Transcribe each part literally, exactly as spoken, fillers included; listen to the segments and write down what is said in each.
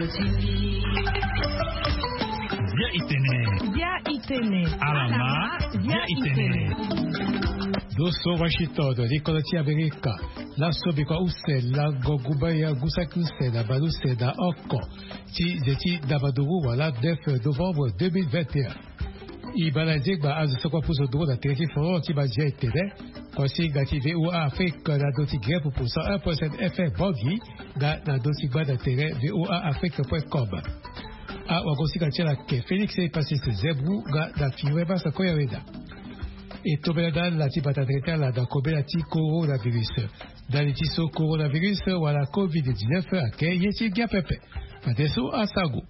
Bia itene. Bia itene. Alama. Bia itene. Doso Washington, likolo ti Amerika. Laso bikua use lango gumbaya gusaki use na bale use na oko ti ze ti ndabaduru wala neuf novembre deux mille vingt et un. E baa na nzengba azo so kue apusu nduru na tere ti foro ti bazia etene. Kuasinga ti VOA Afrique na ndo ti Grep pour cent un point sept F M Bangui, nga na ndo ti gba na tere VOA Afrique point com. Awagosinga ti ala ake Félix Epasis Zebou nga na Fiwe Masa Koyaweda. E tombela na ala ti bata tere ti ala na kobela ti coronavirus. Ndali ti so coronavirus wala covid dix-neuf ake ye ti ngia pepe. Fadeso asango.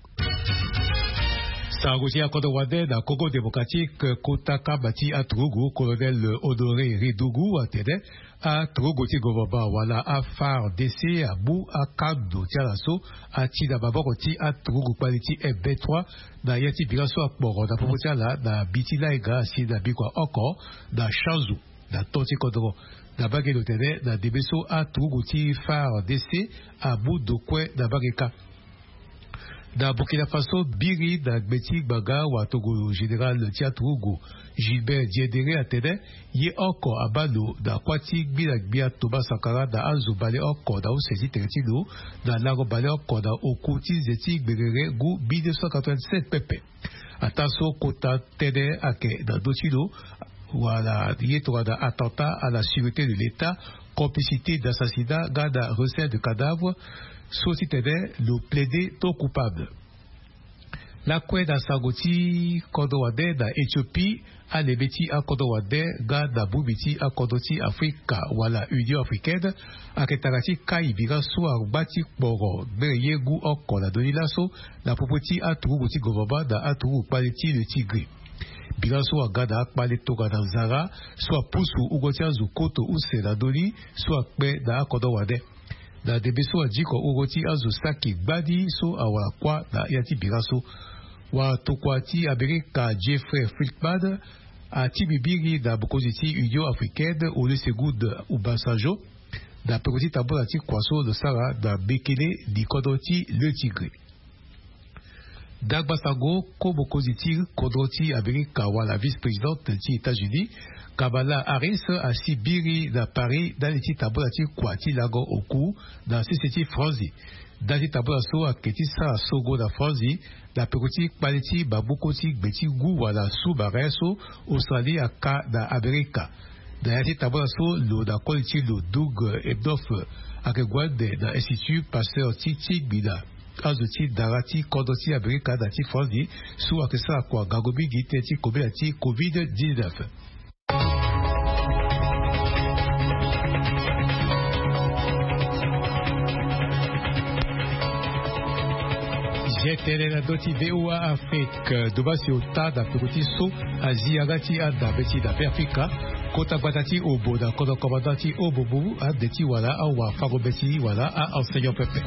Sango ti akodro wande na Congo Démocratique, kota kamba ti aturugu, Colonel Honoré Redougou atene aturugu ti gouvernement wala a FARDC amu akando ti ala so ati na maboko ti aturugu kpali ti M vingt-trois na ya ti bira so akporo na popo ti ala na mbi ti lainga asi na mbi kua oko na Chanzu na to ti kodro. Na mbage lo tene na ndembe so aturugu ti FARDC amu ndo kue na mbage kâ. Na Burkina Faso, biri na gbe ti ngbanga watokolo général ti aturugu Gilbert Diendéré atene ye oko abaa lo na kuâ ti gbia na gbia Thomas Sankara na azo baleoko na use ti tere ti lo na lango baleoko na oku ti nze ti gberere ngu mille neuf cent quatre-vingt-sept pepe. Ataa so kota tënë ayeke na ndö ti lo wala ye tongana attentat à la sûreté de l'État, complicité d'assassinat nga na recel de cadavre, so titene lo plaider non coupable. Lakue na sango ti kodro wande na Éthiopie, alebe ti akodro wande nga na bongbi ti akodro ti Afrika wala Union Africaine ayeke tara ti kai bira so angba ti kporo gbere ye ngu oko na ndö ni laso na popo ti aturugu ti gouvernement na aturugu kpale ti le Tigré. Bira so aga na akpale tongana nzara so apusu wungo ti azo koto use na ndö ni so akpe na akodro wande. Na ndembe so adiko wungo ti azo saki gbani so awara kuâ na ya ti bira so. Watokua ti Amerika Jeffrey Feltman ati bibiri na mokonzi ti Union Africaine Olusegun Obasanjo na peko ti tambula ti kua so lo sara na Mekele, likodro ti le Tigré. Ndangba sango, ko mokonzi ti kodro ti Amerika wala vice-présidente ti États-Unis, Kamala Harris asi biri na Paris ndali ti tambula ti kua ti lango oku na sese ti Franzi. Ndali ti tambula so ayeke ti sara songo na Franzi na peko ti kpale ti maboko ti gbe ti ngu wala sous-marin so Australie aka na Amerika. Na ya ti tambula so lo na koli ti lo Doug Emhoff ayeke gue ande na Institut Pasteur ti tingbi na azo ti dara ti kodro ti Amerika na ti Franzi so ayeke sara kua ngangu mingi tënë ti kobela ti covid dix-neuf. Zetele na ndö ti VOA Afrique, Doma si ota na peko ti so azi yanga ti anda mbeti na Beafrika. Kota gbata ti obo na kodro commandant ti obo mu ande ti wala awafango mbeti wala a-enseignant pepe.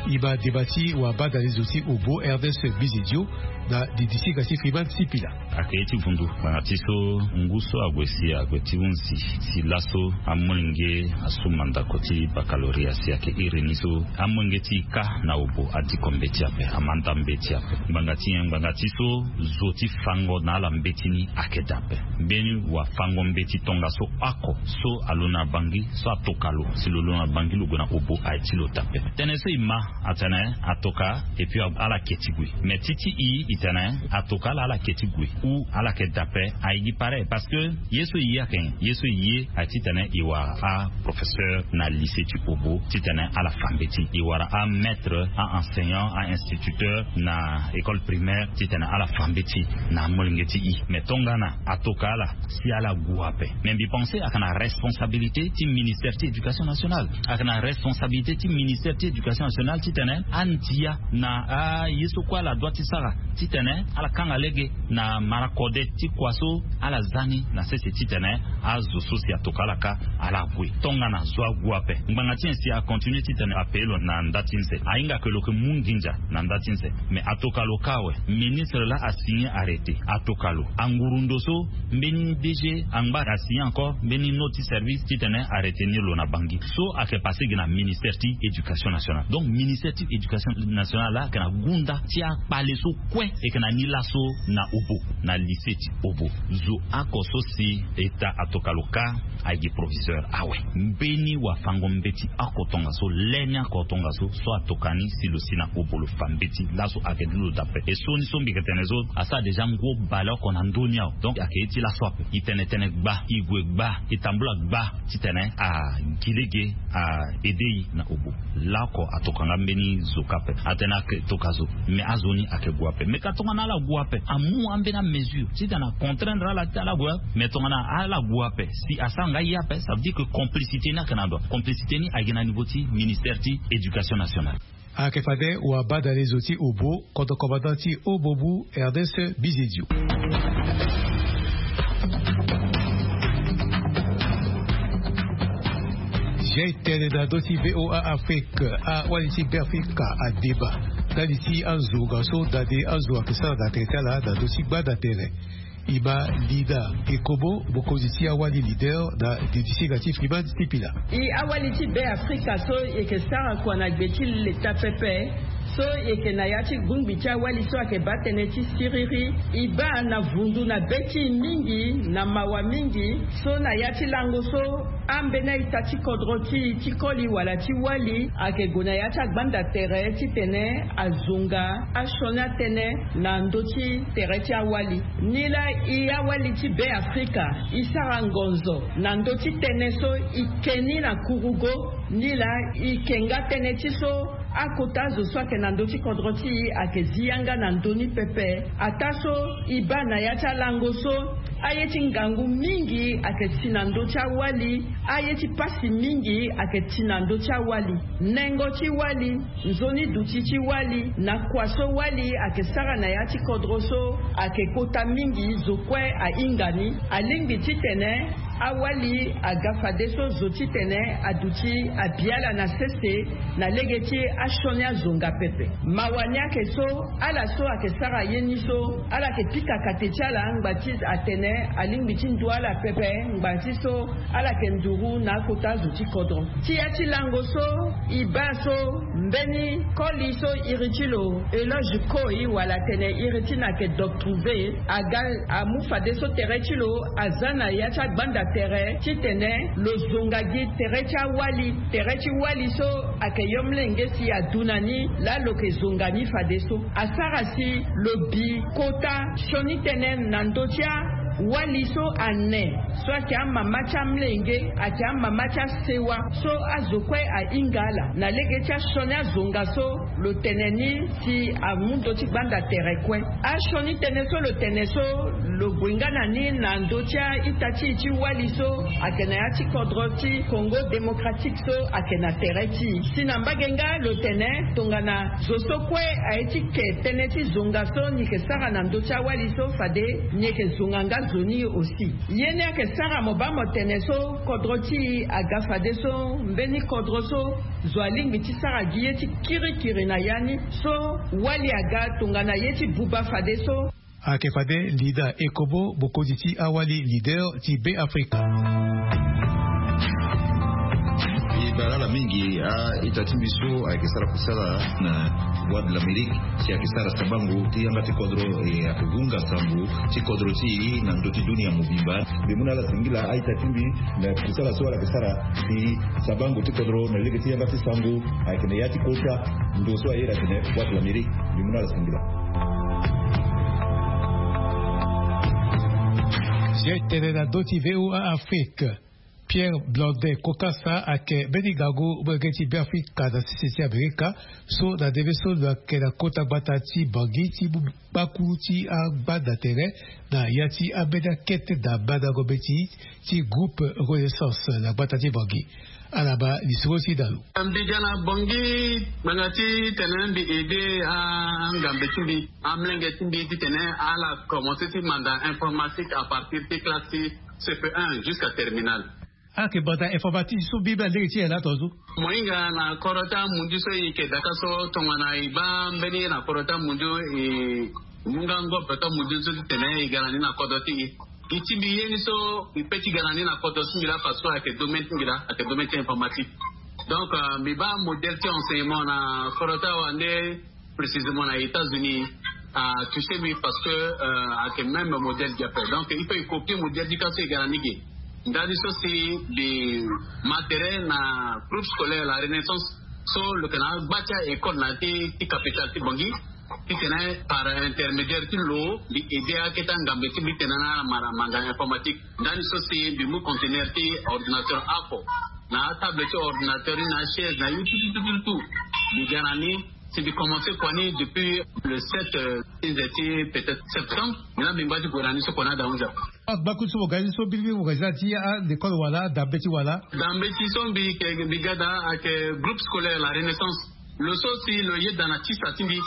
E ma deba ti wabanda lizo ti obo Ernest Bizidio na didi ti ga ti Freeman Sipila. Ayeke ye ti vundu ngbanga ti so ngu so ague si ague ti hunzi si laso amolenge asu mandako ti baccalauréat si ayeke iri ni so amolenge ti e kâ na obo adiko mbeti ape, amanda mbeti ape. Ngbanga ti nyen? Ngbanga ti so zo ti fango na ala mbeti ni ayeke daa ape. Mbeni wafango mbeti tongaso oko so alo na Bangui so atoka lo si lo lo na Bangui lo gue na obo aye ti lo daa ape. Tënë so e ma atene atoka et puis ala ke ti gue. Mais ti ti e e tene atoka ala ala ke ti gue ou ala yeke daa ape, aye gi pareil parce que ye so e ye ayeke nyen? Ye so e ye aye titene e wara aprofesseur na lycée ti obo titene ala fa mbeti, e wara amaître, a-enseignant, a-instituteur na école primaire titene ala fa mbeti na amolenge ti e. Mais tongana atoka ala si ala gue ape. Mais mbi pense ayeke na responsabilité ti ministère ti éducation nationale, ayeke na responsabilité ti ministère ti éducation nationale titene andia na aye so kue ala dua ti sara titene ala kanga lege na mara kode ti kua so ala za ni na sese titene azo so si atoka ala kâ ala gue. Tongana zo ague ape, ngbanga ti nyen si acontinuer titene apaye lo na nda ti nze? Ahinga ke lo yeke mu nginza na nda ti nze. Mais atoka lo kâ awe, ministre laa asigner arrêté, atoka lo. Anguru ndo so mbeni DG angba Asigné encore mbeni note ti service titene aretenir lo na bangi so ayeke passé gi na ministère ti éducation nationale. Donc ministère ti éducation nationale la ayeke na gunda ti akpale so kue. Ayeke na ni laso na obo, na lycée ti obo, zo oko so si état atoka lo ka, agi proviseur awe. Mbeni wafango mbeti oko tongaso, leni oko tongaso so atoka ni si lo si na obo lo fa mbeti laso ayeke ni lo dape. E so ni so mbi yeke tene so asara déjà ngu baleoko na ndö ni awe. Donc ayeke ye ti laso ape. I tene tënë gba, i gue gba, i tambula gba titene agi lege a aidé i na obo. Laoko atoka nga mbeni zo kâ ape. Atene ayeke toka zo, mais azo ni ayeke gue ape. Mais ka tongana ala gue ape, amu ambeni amesure titene acontraindre ala ti ala gue ape. Mais tongana ala gue ape si asara nga ye ape, ça veut dire que complicité ni ayeke na ndo. Complicité ni ayeke na niveau ti ministère ti éducation nationale. Ayeke fade wabadale zo ti obo, kodro commandant ti obo bu Ernest Bizedio. Zia e tene na ndö ti VOA Afrique, awali ti Beafrika adeba ndali ti azonga so dade azo ayeke sara na tere ti ala na ndö ti gbanda tere. E ma Lina Ekobo, mokonzi ti awali leader na deti ti hinga ti Freeman ti Pila. E awali ti Beafrika so e yeke sara kua na gbe ti leta pepe, so e yeke na ya ti bongbi ti awali so ayeke baa tënë ti siriri. E baa na vundu na be ti e mingi, na mawa mingi, so na ya ti lango so ambeni a-ita ti kodro ti e ti koli wala ti wali ayeke gue na ya ti agbanda tere titene azonga asioni atënë na ndö ti tere ti awali. Nilaa e awali ti Beafrika e sara ngonzo na ndö ti tënë so e ke ni na kurugo. Nilaa e ke nga tënë ti so akota azo so ayeke na ndö ti kodro ti e ayeke zi yanga na ndö ni pepe. Ataa so e baa na ya ti alango so aye ti ngangu mingi ayeke ti na ndö ti awali. Aye ti pasi mingi ayeke ti na ndö ti awali. Nengo ti wali, nzoni duti ti wali na kua so wali ayeke sara na ya ti kodro so ayeke kota mingi. Zo kue ahinga ni. Alingbi titene awali aga fadeso zo titene aduti abi ala na sese na lege ti asioni azonga pepe. Mawa ni ayeke so ala so ayeke sara ye ni so ala yeke pika kate ti ala ngba ti atene alingbi ti ndu ala pepe ngba ti so ala yeke nduru na akota zo ti kodro. Ti ya ti lango so e baa so mbeni koli so iri ti lo Eloge Koi wala atene iri ti lo ayeke Doc Trouvé aga amu fadeso tere ti lo aza na ya ti agbanda tere titene lo zonga gi tere ti awali, tere ti wali so ayeke yo mlenge si adu na ni laa lo yeke zonga ni fadeso. Asara si lo bi kota sioni tënë na ndö ti awali so ane so ayeke amama ti amlenge, ayeke amama ti asewa so azo kue ahinga ala na lege ti asioni azonga so lo tene ni si amu ndö ti gbanda tere kue. Asioni tënë so lo tene so lo gue nga na ni na ndö ti a-ita ti e ti wali so ayeke na ya ti kodro ti Congo Démocratique so ayeke na tere ti e. Si na mbage nga lo tene tongana zo so kue aye ti ke tënë ti zonga so ni yeke sara na ndö ti awali so fade ni yeke zonga nga zo ni aussi. Ye ni ayeke sara mo baa mo tene so kodro ti e aga fadeso mbeni kodro so zo alingbi ti sara gi ye ti kirikiri na ya ni so wali aga tongana ye ti buba fadeso. Ayeke fade Lina Ekobo, mokonzi ti awali leader ti Beafrika. E bale ala mingi a-ita ti mbi so ayeke sara kusala na Voix de l'Amérique si ayeke sara sabango ti yanga ti kodro, e ayeke hunga sango ti kodro ti e na ndö ti dunia mobimba. Mbi mu na ala singila a-ita ti mbi na kusala so ala yeke sara si sabango ti kodro na lege ti yanga ti sango ayeke na ya ti kota ndo so aye atene Voix de l'Amérique. Mbi mu na ala singila. Si e tene na ndö ti VOA Afrique, Pierre Blondet Kokasa ayeke mbeni ngangu molenge ti Beafrika na sese ti Amerika so na ndembe so lo yeke na kota gbata ti Bangui ti mu kpaku ti agbanda tere na ya ti ambeni akete na mandango mbeti ti groupe Renaissance na gbata ti Bangui. Ala baa lisoro ti da lo. Mbi ga na Bangui ngbanga titene mbi aidé angambe ti mbi, amolenge ti mbi titene ala commencé ti manda informatique à partir ti classe ti C P un jusqu'à terminale. Ayeke manda informatique so mbi mbi alege ti nyen na ato so? Mo hinga na kodro ti amunzu so e yeke daka so tongana e baa mbeni ye na kodro ti amunzu e mu nga ngobe ti amunzu so titene e ga na ni na kodro ti e. Gi ti mbi ye ni so mbi pe ti ga na ni na kodro ti mbi laa, parce que ayeke domaine ti mbi laa, ayeke domaine ti informatique. Donc mbi baa modèle ti enseignement na kodro ti awa nde précisément na États-Unis a touché mbi, parce que ayeke même modèle gi ape. Donc il faut e copier modèle ti ka so e ga na ni ge. Ndani so si mbi ma tere na groupe scolaire la Renaissance so lo yeke na agba ti a école na ya ti capitale ti Bangui, titene par intermédiaire ti lo mbi aidé akete angambe ti mbi titene ala ma na manda informatique. Ndani so si mbi mu conteneur ti ordinateur oko na atable ti ordinateur ni na achaise na ye tout tout tout tout. Mbi ga na ni si mbi commencé kua ni depuis le sept ti nze ti peut-être septembre. Mbi na mbi ngba ti gue na ni so kua ni ada hunzi ape. Agba kutu so mo ga ni so biribi mo ga ni ti alekole wala dambe ti wala? Dambe ti so mbi yeke mbi ga daa ayeke groupe scolaire la Renaissance. Lo so si lo yeda na tisa ti mbi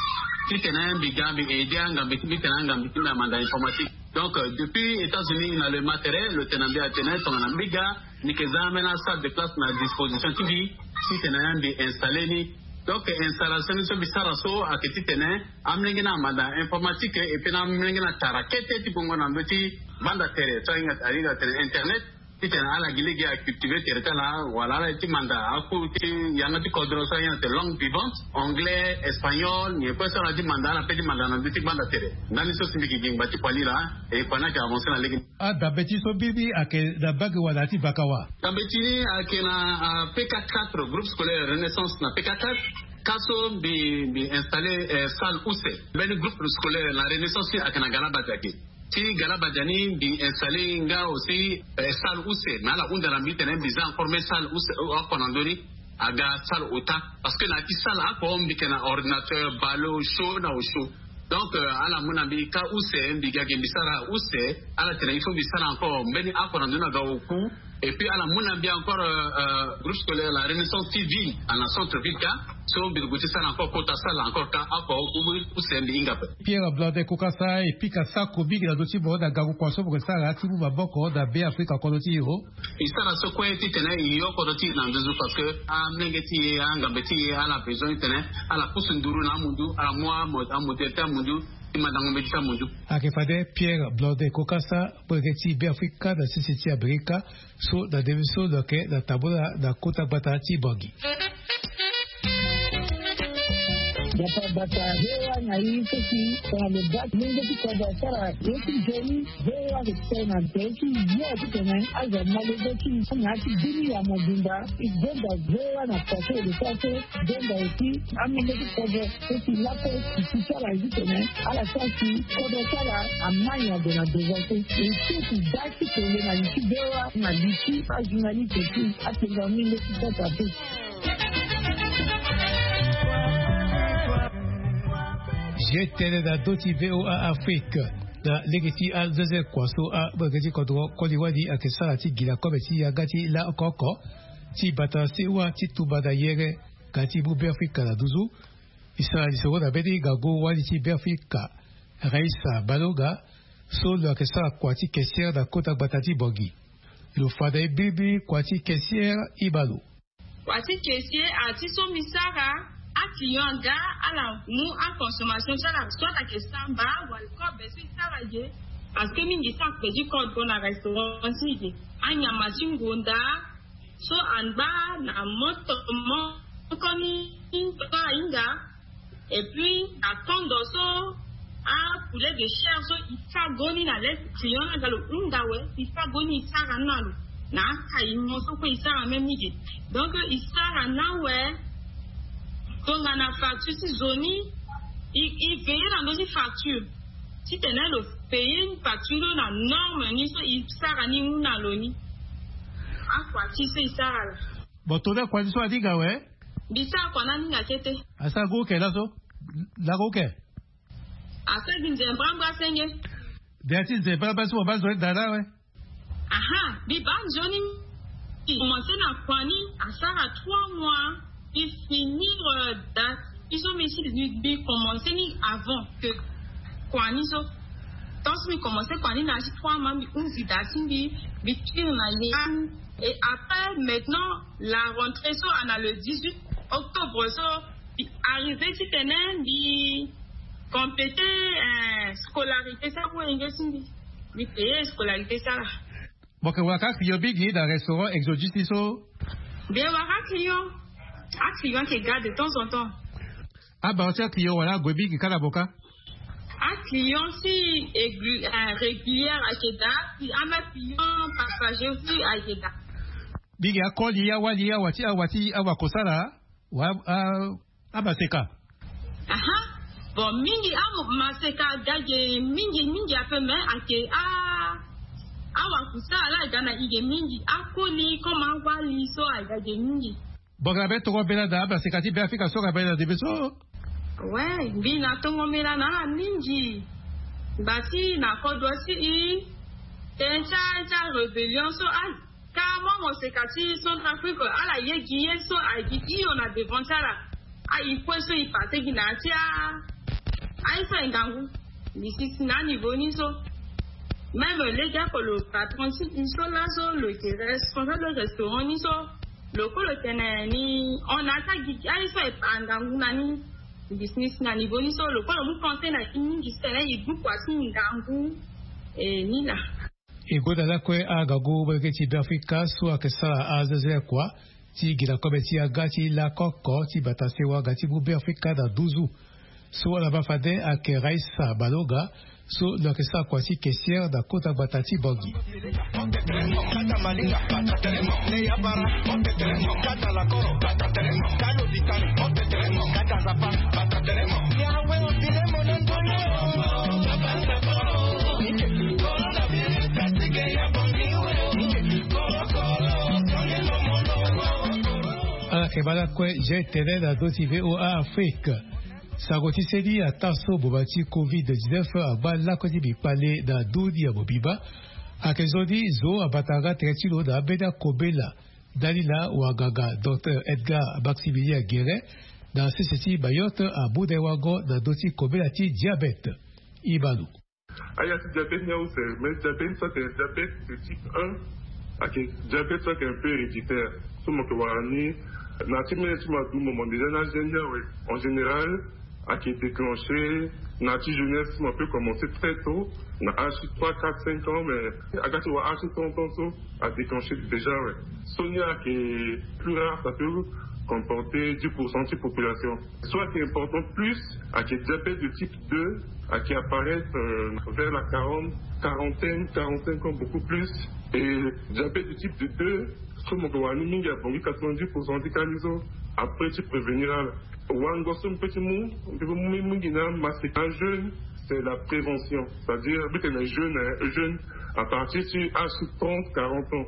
titene mbi ga mbi aidé angambe ti mbi titene angambe ti mbi amanda informatique. Donc depuis États-Unis na le matériel lo tene na mbi atene tongana mbi ga mbi yeke za ambeni asalle de classe na disposition ti mbi titene mbi installé ni. Donc installation ni so mbi sara so ayeke titene amolenge ni amanda informatique et puis na amolenge ni atara kete ti gongo na ndö ti banda tere so ahinga ahinga atene internet. Titene ala gi lege acultivé tere ti ala wala ala ye ti manda aku ti yanga ti kodro so ahinga atene langue vivante, anglais, espagnol, nyen kue so ala ti manda ala pe ti manda na ndö ti banda tere. Ndani so si mbi yeke gi ngba ti kua ni laa. E kua ni ayeke avancé na lege ni. Adambe ti so biribi ayeke na bage wala ti baka wa? Dambe ti ni ayeke na pk quatre, groupe scolaire Renaissance na pk quatre. Ka so mbi mbi installé salle use. Mbeni groupe scolaire na Renaissance ni ayeke na Galabadia ge. Ti Galabadia ni mbi installé nga aussi salle use, mais ala hunda na mbi titene mbi za encore même salle use oko na ndö ni. Aga salle ota. Parce que na ya ti salle oko mbi yeke na ordinateur, ballon, chaud na osho. Donc ala mu na mbi ka use, mbi ga ge mbi sara use. Ala tene il faut mbi sara encore mbeni oko na ndö ni aga oku. Et puis ala mu na mbi encore groupe scolaire la Renaissance ti ville, na centre ville ka. So mbi gue ti sara encore kota salle encore ka oko oku use mbi hinga ape. Pierre Blondet Kokasa, e pika sako mingi na ndö ti mo na gango kua so mo yeke sara ti mu maboko na Beafrika kodro ti e. E sara so kue titene e yo kodro ti e na nduzu, parce que amolenge ti e, angambe ti e ala besoin titene ala pusu nduru na amundu, ala mu amodèle ti amundu ti mandango mbeti ti amundu. Ayeke fade Pierre Blondet Kokasa, molenge ti Beafrika na sese ti Amerika, so na ndembe so lo yeke na tambula na kota gbata ti Bangui. Gbata gbata V O A na ye so si tongana lo baa molenge ti kodro asara ye ti nzoni, V O A ayeke tene na tere ti yo titene azo amolenge ti e na ya ti bini ya mobimba. E gonda V O A na kua so e lo sara so, gonda aussi amolenge ti kodro so si lakue si sara ye titene ala sara si kodro ti ala ama nyango na devant so. E so si da ti kele na li ti V O A na li ti ajournaliste ti atenga molenge ti kota te. Je tene na ndö ti V O A Afrique na lege ti azoze kua so amolenge ti kodro koli wali ayeke sara ti gi na kobe ti yanga ti la oko oko ti bata sewa ti tumba na yere ga ti mu Beafrika na nduzu. E sara lisoro na mbeni ngangu wali ti Beafrika, Raissa Balonga, so lo yeke sara kua ti caissière na kota gbata ti Bangui. Lo fa na e mbirimbiri kua ti caissière, e ma lo. Kua ti caissière, a ti so mbi sara, aclient aga ala mu aconsommation ti ala, soit ayeke samba wala kobe so e sara ge. Parce que mingi so akpe ti kodro na restaurant ti e ge, anyama ti ngonda so angba na moto moko ni so ahinga. Et puis na kondo so apoulet de chair so e fa goni na leste client ni aga lo hunda awe, e fa goni e sara ni na lo. Na akayi mo so kue e sara même ni ge. Donc e sara ni awe. Tongana facture ti zo ni, e veiller na ndö ti facture titene lo payer facture ni na norme ni so e sara ni hunda na lo ni. Akua ti so e sara la. Bon, tongana kua ti so aninga awe. Mbi sara kua ni aninga kete. Asara gu oke laso? Lako oke. Asara gi nze mbrambra senge. Ndia ti nze mbrambra so mo baa nzoni daa laa awe. Aha, mbi baa nzoni. Mbi commencé na kua ni asara trois mois. Mbi finir date ti so mbi si mbi commencé ni avant que kua ni so. Tant so mbi commencé kua ni na ya ti trois mois mbi hunzi date ti mbi. Mbi tire na ye. Et après maintenant la rentrée so ana le dix-huit octobre so mbi arrivé titene mbi compléter scolarité so wenge ti mbi. Mi paye scolarité sara. Bon, ke wara ka client mingi na restaurant Exodus ni so? Bien, wara client. Aclient ayeke ga de temps en temps. Abaro ti aclient wala ague mingi kâ na mo kâ? Aclient si aigu- euh, régulière ayeke daa. Si ama client passager aussi ayeke daa. Mingi akoli awali awa ti awa ti awa kosala. Wa a- amaseka. Aha. Bon, mingi amaseka aga ge mingi mingi ape, mais ayeke a- awakusa ala aga na i ge mingi. Akoli comme awali so aga ge mingi. Bongela be toro mbela na amaseka ti Beafrika so aga mbela na ndembe so. Ouais, mbi na tongo mbela na ala mingi. Basi na kodro si i tene ti a- ti arébellion so a- Ka mo moseka ti Centrafrique ala ye gi ye so ayeke gi hio na devant ti ala. Aye kue so e passe gi na ya ti a- aye so aye ngangu. Mbi si si na aniveau ni so. Même lege oko lo patron ti e so laso lo yeke responsable restaurant ni so. Lo kue lo tene ni hon na ya ti agi aye so aye pa ngangu na ni. Mbi si ni si na niveau ni so lo kue lo mu conseil na e mingi si tene e gbu kua ti ngangu. E ni laa. E gonda lakue angangu molenge ti Beafrika so ayeke sara azezerekua ti gi na kobe ti yanga ti lakoko ti bata sewa nga ti mu Beafrika na nduzu. So ala ma fade ayeke Raissa Malonga so lo yeke sara kua ti caissière na kota gbata ti Bangui. Ala yeke ma lakue Jean Tene na ndö ti VOA Afrique. Sango ti seni ataa so boma ti covid dix-neuf angba lakue ti mbi kpale na ndö ni ya mobimba. Ayeke zo ni zo abata nga tere ti lo na ambeni akobela. Ndali na wanganga docteur Edgar Maximilien Guérin na sese ti Mayotte amu na e wango na ndö ti kobela ti diabete. Ibalo. Aya ti diabete ni ause, mais diabete so ayeke diabete de type un. Ayeke diabete so ayeke un peu héréditaire. So mo yeke wara ni na ti mene ti mo adu mo mo déjà na gene ni awe. En général ayeke déclenché na ti jeunesse, mo peut commencer très tôt, na âge ti trois, quatre, cinq ans, mais aga ti wara âge ti trente ans so a déclenché déjà, ouais. So ni ayeke plus rare, ça peut comporter dix pour cent ti population. So ayeke important plus ayeke diabète de type deux, ayeke apparaître euh, vers la quarante, quarantaine, quarante-cinq ans, beaucoup plus. Et diabète de type deux, so mo yeke wara ni mingi abongi quatre-vingt-dix pour cent ti ka ni so. Après ti prévenir ala. Wango so mpe ti mu mpe mu mingi na maseka jeûne, c'est la prévention. C'est-à-dire mbi tene jeûne, hein, jeûne à partir ti âge ti trente, quarante ans.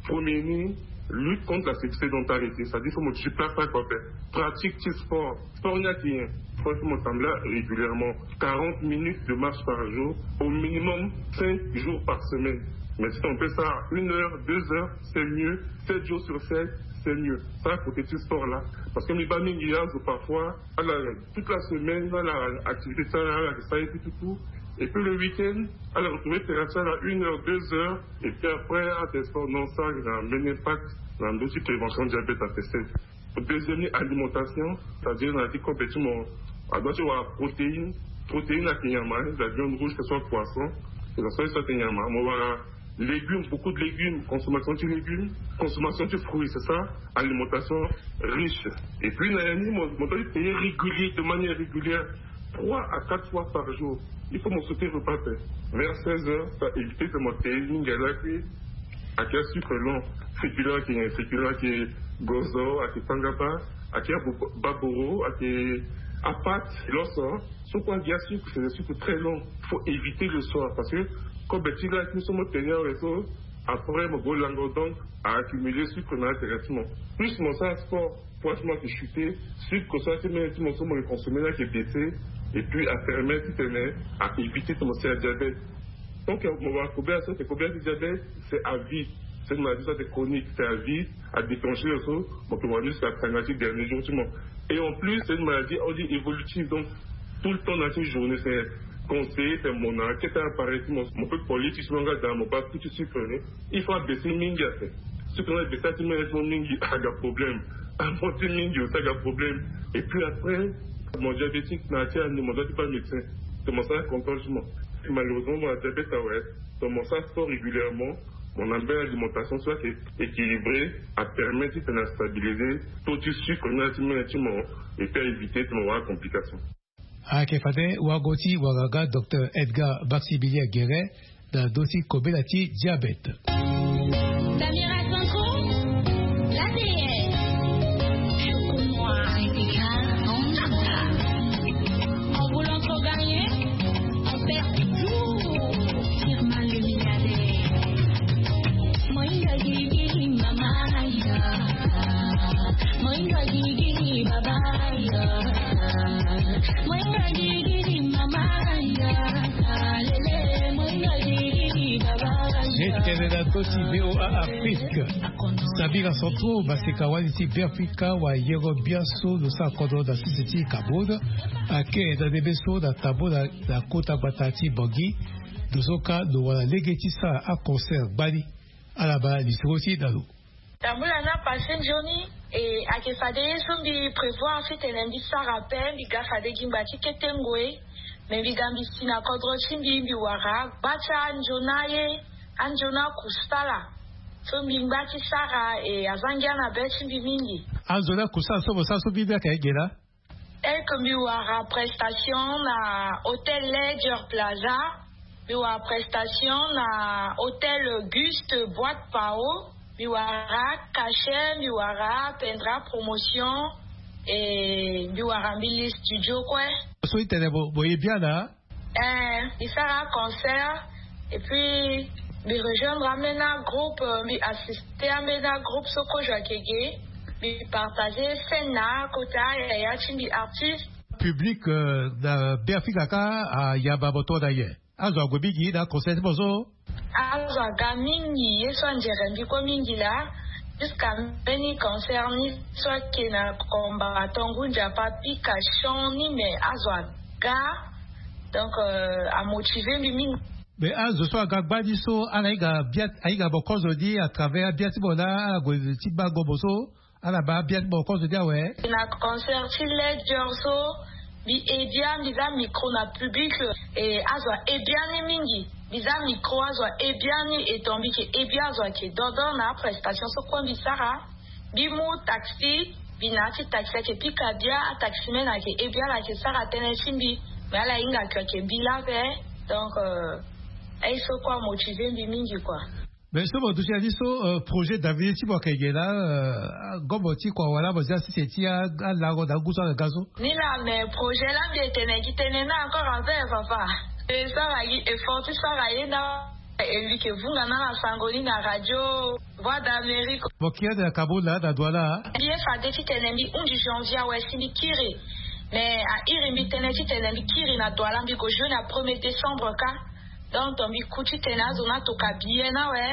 Premier ni, lutte contre la sédentarité, c'est-à-dire faut mo déplacer quoi, pratique ti sport. Sport ni ayeke nyen? Faut mo tambula régulièrement, quarante minutes de marche par jour, au minimum cinq jours par semaine. Mais si on peut ça une heure, deux heures, c'est mieux. Sept jours sur sept, c'est mieux. Ça, côté du sport là. Parce que mbi baa mingi azo parfois, ala toute la semaine, ala activité ti ala, ala yeke sara ye ti tutu. Et puis le week-end, ala retrouver terrain ti ala une heure, deux heures. Et puis après, ala tene sport, non, ça ayeke na mbeni impact na ndö ti prévention diabète à teste. Deuxième ni, alimentation, c'est-à-dire na ya ti kobe ti mo, a doit ti wara protéine. Protéine ayeke nyama, hein, la viande rouge, que ce soit poisson, que ce soit, so ayeke nyama. Mo wara légumes, beaucoup de légumes, consommation de légumes, consommation de fruits, c'est ça, alimentation riche. Et puis na ya ni mo, mo doit payer régulier, de manière régulière, trois à quatre fois par jour. Il faut mo sauter repas, hein. Vers seize heures, ça évite que mo payer mingi lakui. Ayeke asucre lent, féculent ayeke nyen? Féculent ayeke gozo, ayeke tangaba, ayeke abo- baboro, ayeke apate, loso. So kue agi asucre, c'est des sucres très longs. Faut éviter le soir parce que kobe ti lakui so mo tene awe so, après mo go lango, donc a accumuler sucre na intérêt ti mo. Plus mo sara sport, poids ti mo ayeke chuter, sucre so ayeke ti mene ti mo so mo yeke consommer ni ayeke baisser. Et puis a permettre ti tene a éviter ti mo sara diabète. Donc mo wara kobela so ayeke kobela ti diabète, c'est à vie. C'est une maladie so ayeke chronique, c'est à vie. A déclencher so mo yeke wara ni jusqu'à tanga ti dernier jour ti mo. Et en plus c'est une maladie, on dit, évolutive, donc tout le temps na ti journée c'est conseillé, c'est mon enquête appareil ti mo, mo peut koli ti so nga daa mo baa tout ti sucre ni. Il faut abaisser mingi ape. Sucre ni abaisser ti mene ti mo mingi aga problème. Amonter mingi aussi aga problème. Et puis après, mon diabétique na ya ti ani mo doit ti baa médecin. C'est mon sara contrôle ti mo. Malheureusement, mon diabète awe. Donc mon sara sport régulièrement. Mon na mbeni alimentation so ayeke équilibré, apermet ti tene astabilisé taux ti sucre na ya ti mene ti mo. Et puis a éviter ti mo wara complication. Ayeke fade wago ti wagaga docteur Edgar Maximilien Guéret na ndö ti kobela ti diabète. Samira Sanko, l'A D N. Pour moi, Rebecca, on attend. En voulant trop gagner, on perd toujours. Firma le milliardaire. Moinga gigi mama ya. Moinga gigi baba ya. Moinga gigi mama ya. Lele, moinga gigi baba ya. Letele na ndö ti V O A Afrique. Sabira Centro, maseka wali ti Beafrika, wayengo bian so lo sara kodro na sese ti Cameroun, ake na ndembe so na tambula na kota gbata ti Bangui. Lo so ka lo wara lege ti sara aconcert gbani. Ala baa lisoro ti na lo. Tambula na pase nzoni, e, ayeke fade ye so mbi prévoir titene mbi sara ape, mbi ga fade gi ngba ti kete ngoi. Me mbi ga mbi si na kodro ti mbi, mbi wara gba ti anzoni aye, anzoni akusala. So mbi ngba ti sara, e, aza ngia na be ti mbi mingi. Anzoni akusala so mo sara so mbi mbi ayeke aye ge laa? Tel que mbi wara prestation na Hôtel Ledger Plaza, mbi wara prestation na Hôtel Auguste Boîte Pao, mbi wara Cachet, mbi wara Pendra Promotion, e mbi wara Mbili Studio kue. So itene bo, bo ye bien na? Eh, mbi sara concert, et puis mbi rejoindre ambeni groupe, mbi assister ambeni groupe so kozo ayeke ge, mbi partager scène na kota yaya ti mbi artiste. Public, euh, na Beafrika ka ayamba mo tongana nyen? Azo ague mingi na concert ti mo so? Azo aga mingi, ye so anzere mbi kue mingi laa. Jusqu'à mbeni concert ni so ayeke na Komba Tongo Nzapa Pika Champ ni, me azo aga. Donc, euh, amotive mbi mingi. Me azo so aga gbani so, ala hinga bia, ahinga mo kozo ni à travers abia ti mo laa, ala gue ti bango mo so, ala baa abia ti mo kozo ni awe. Na concert ti Ledger so, mbi he bia, mbi za micro na public, e azo ahe bia ni mingi. Mbi za micro, azo ahe bia ni, e ton mbi yeke he bia, azo ayeke dodo na aprestation so kue mbi sara. Mbi mu taxi, mbi na ya ti taxi ayeke pika bia, ataximene ayeke he bia, ala yeke sara tënë ti mbi. Me ala hinga que ayeke mbi laa ape. Donc, euh, aye so kue amotive mbi mingi kua. Mais so mo duti na ni so, euh, projet d'avenir ti mo ayeke ge laa, euh, gomo ti kua wala mo zia sese ti a, alango na ngu so ala ga so? Ni laa, mais projet laa mbi etene gi tënë na encore ape, papa. E sara gi effort ti sara ye na, e mbi yeke vunga na ala sango ni na radio Voix d'Amérique. Mo kiri ande na Cameroun laa na Douala? Mbi ye fade titene mbi hunzi janvier awe si mbi kiri. Mais a iri mbi tënë titene mbi kiri na Douala, mbi gue jouer na premier décembre ka. Donc mbi ku titene azo ni atoka billet ni awe.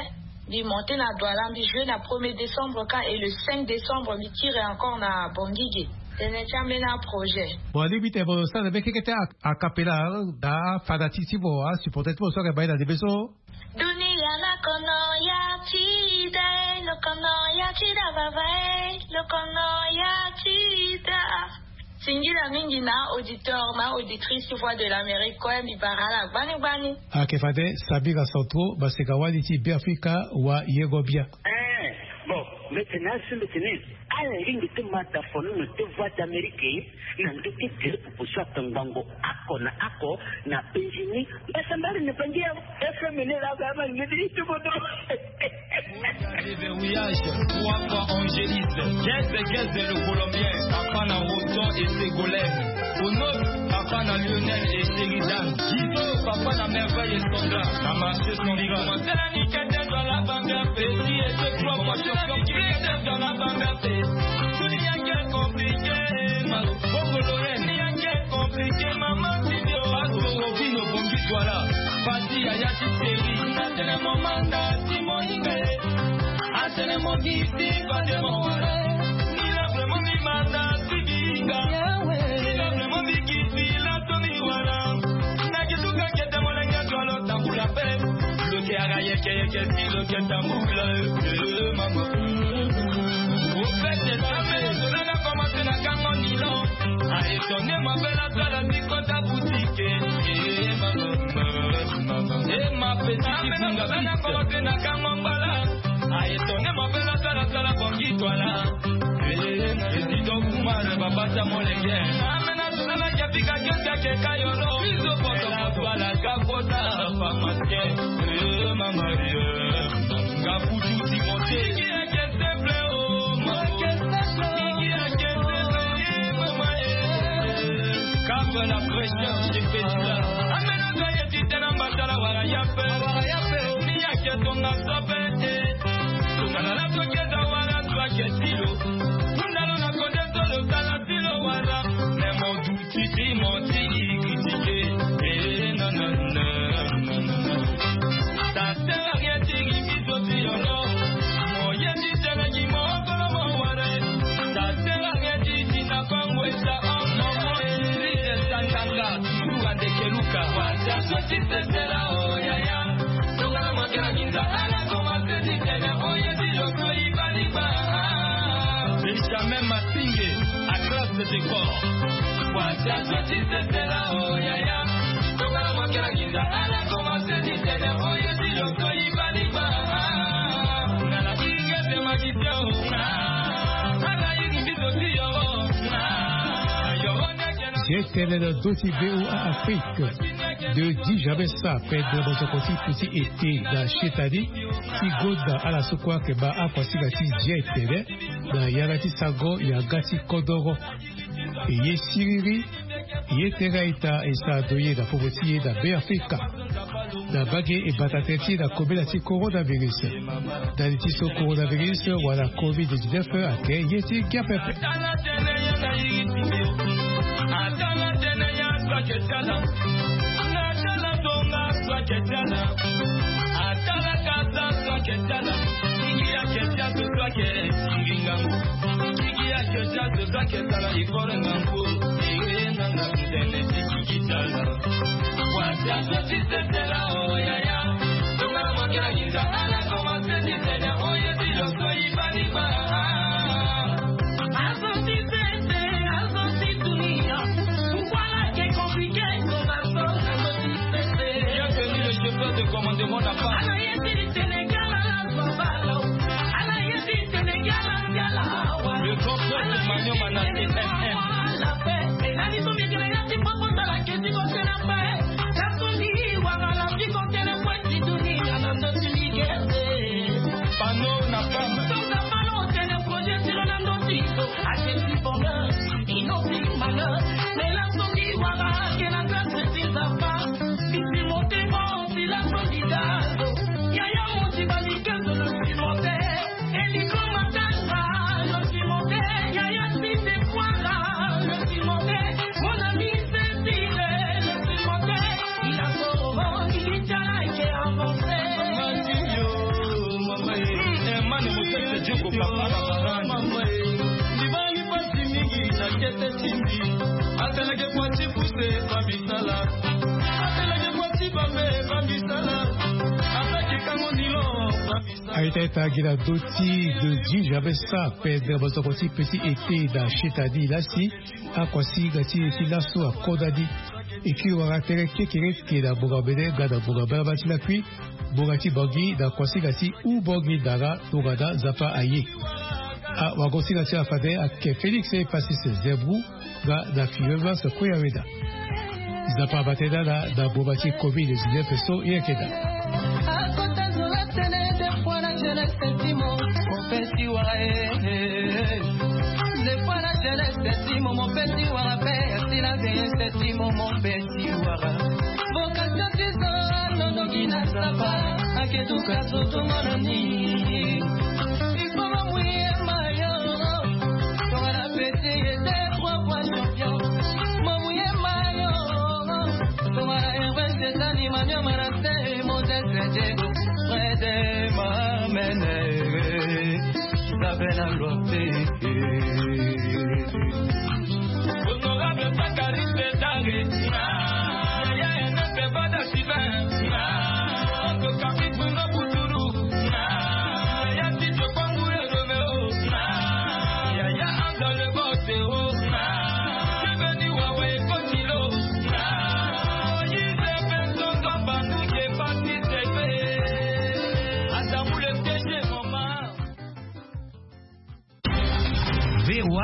Mbi monter na Douala, mbi jouer na premier décembre ka, et le cinq décembre mbi kiri encore na Bangui ge. Tënë ti ambeni aprojet. Bon, alingbi titene mo sara na mbeni keke ti a, a cappella, hein, na afanatique ti mo, asupporter ti mo so ayeke baa ye na ndembe so. Dunia na kono ya ti da, lo kono ya ti da baba e, lo kono ya ti da. Singila mingi na auditeur na auditrice ti Voix de l'Amérique kue, mbi bara ala gbani gbani. Ayeke fade Sabira Santro, maseka wali ti Beafrika, wayengo bia. Eh, bon, mbi tene asi mbi tene, ala lingbi ti ma dafono na ti Voix d'Amérique na ndö ti gere pupu so atongbango oko na oko na penzi ni. Mbasambari na bangi ya F M ni la ba ma ngedi ti bodo. Verrouillage, trois fois Angéliste. Guest, guest, le Colombien. Papa na Roton et Ségolène. Ono, papa na Lionel et Sheridan. Guido, papa na Merveille et Sandra. Na marché Sandra. Ni kete zo la banga petit et ce trois fois champion. Ni kete zo la banga petit. Tout le monde est compliqué, ma. Bongo Lorraine, ni compliqué, maman, si Dieu. Parce que Robin au Bongi Douala. Parti à Yati Série. Atene mo manda ti mo hinga e. Atene mo giti fade mo wara. Ni la vraiment mi manda ti binga. Ni la vraiment mi giti la to mi wara. Na ki tuka kete mo lenga to lo tambula pe. Lo ke ara yeke yeke si lo ke tambula, eh, mama. Au fait, c'est ça, mais cela n'a commencé na kango nilon. A étonné ma belle à toi, la mi kota boutique, eh, mama. Nga bana kolo te na kango mbala. Aye tone mabela sala sala bongi twala. Ezito kuma na babata molenge. Amena sala ya pika kete ke kayolo. Bizo poto bala kakota pharmacien. Eh, mama, eh. Nga kutu ti monte. Simple, oh, mama. Simple, eh, mama, eh. Calme la pression, je fais du là. Amena sala ya titena mbasala wala ya pe. Wala ya pe. Ni ya ke tonga sobe, eh. Tonga na la toke da wala, toi ke tilo. Tunda lo na konde solo sala tilo wala. Mais mon doute, titi, mon titi, critiqué. Eh, non, non, non, non, non. Ça sert à rien, titi, biso, ti, oh, non. Moyen, titi, na ki, mon, kolo, mon, wala. Ça sert à rien, titi, na, kongwe, sa, oh, non, mon, eh, titi, sa, kanga. Luka ndeke luka. Wata so ti sesela, oh, yaya. Tonga na makela minza, ala koma se ti tene, oh, ye ti lo so i bani ba. Benjamin Matinge, à classe de décor. Wata so ti sesela, oh, yaya. Tonga na makela minza, ala koma se ti tene, oh, ye ti lo so i bani ba. Na la inge de magicien, oh. Ala iri biso ti yo, oh. Yo, G T L na doti V O A Afrique. De dix jamais ça, perdre votre côté petit été dans chez Tadi. Ti gonda ala so kue ayeke baa akuasinga ti G T L na yanga ti sango yanga ti kodoro. E ye siriri, ye tere a-ita e sara ndo ye na popo ti e na Beafrika. Na mbage e bata tere ti e na kobela ti coronavirus. Ndali ti so coronavirus wala covid dix-neuf ayeke ye ti ngia pepe. Atala tene ya na iri ti nde. Atala tene ya so ayeke ti ala. Na tala tonga so ayeke ti ala. Atala kasa so ayeke ti ala. Kiki ayeke ti azo so ayeke siri ngangu. Kiki ayeke ti azo so ayeke sala effort ngangu. Ewe nanga tene ti kiki ti ala. Wasi azo ti sesela o yaya. Tonga na makela nginza ala koma se ti tene o ye ti lo so i bani ba. Azo ti sese, azo ti dunia. Pourquoi la ke compliqué comme ça, azo ti sese. Bienvenue le chauffeur de commandement La Paz. Ala ye ti Sénégal, ala zo balo. Ala ye ti Sénégal, ala. Le grand peuple Magnon Manassé, M M. Panneau na femme. Aita ita gi na ndö ti de juge abe sa pede bozoko ti petit été na chitani lasi. Akuasinga ti e ti laso akodani. E kiri wara tere kekereke na ngbonga mbene nga na ngbonga mbalamal ti lakui. Ngbonga ti Bangui na kuasinga ti Houphouët-Boigny Ndara tongana Nzapa aye. Awagosinga ti afade ayeke Félix Epacis Zembrou nga na Clémence Kouyaoueda. Nzapa abate na ala na ngbonga ti covid dix-neuf so e yeke daa. Akota zo la tene de fois la jeunesse ti mo, mon petit wara, eh, eh. Des fois la jeunesse ti mo, mon petit wara, père, si la vieillesse ti mo, mon petit wara. Vocation ti zo, alondo gi na Nzapa, ake tuka zo tongo na ni. Il faut ma mouiller maillot, tonga na petit et deux, trois fois champion. Ma mouiller maillot, tonga na Hervé Setani, Mania Manassé, Moses Diego, Fred Mamene. Isabella Lotte. Honorable Zacharie César. Na ya ena pe bada Sylvain. Na to kapi Bruno Boutourou. Na ya ti Jokongu ya Romeo. Na ya ya Anda le Botero. Na Beni Wawe Kotilo. Na Moïse Benson Bambandu ke Patrice Epe.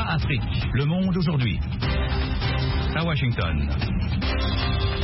Afrique, le monde aujourd'hui. À Washington.